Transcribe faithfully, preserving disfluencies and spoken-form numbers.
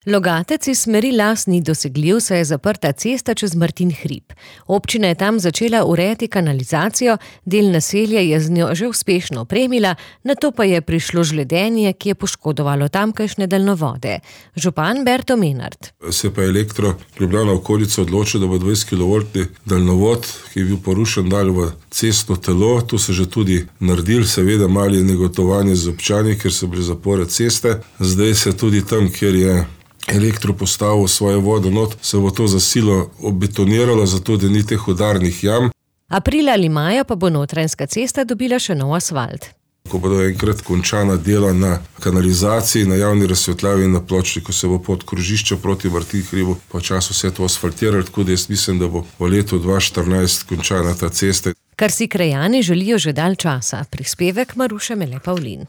Logatec iz smeri Las ni dosegljiv, saj je zaprta cesta čez Martin hrib. Občina je tam začela urejati kanalizacijo, del naselja je z njo že uspešno opremila, nato pa je prišlo žledenje, ki je poškodovalo tamkajšnje daljnovode. Župan Berto Menart. Se pa Elektro Ljubljana okolica odločil, da bo dvajset kilovoltni daljnovod, ki je bil porušen, dal v cestno telo. To se že tudi naredil, seveda malo je negotovanje z občani, ker so bile zapore ceste. Zdaj se tudi tam, kjer je Elektro postavil svoje vodo not, se bo to za silo obetoniralo, zato da ni teh udarnih jam. Aprila ali maja pa bo Notranjska cesta dobila še nov asfalt. Ko bodo enkrat končana dela na kanalizaciji, na javni razsvetljavi in na pločniku, se bo pod krožišča proti Martin hribu počasi vse to asfaltiralo, tako da jaz mislim, da bo v letu dva tisoč štirinajst končana ta cesta. Kar si krajani želijo že dalj časa. Prispevek Maruše Mele Pavlin.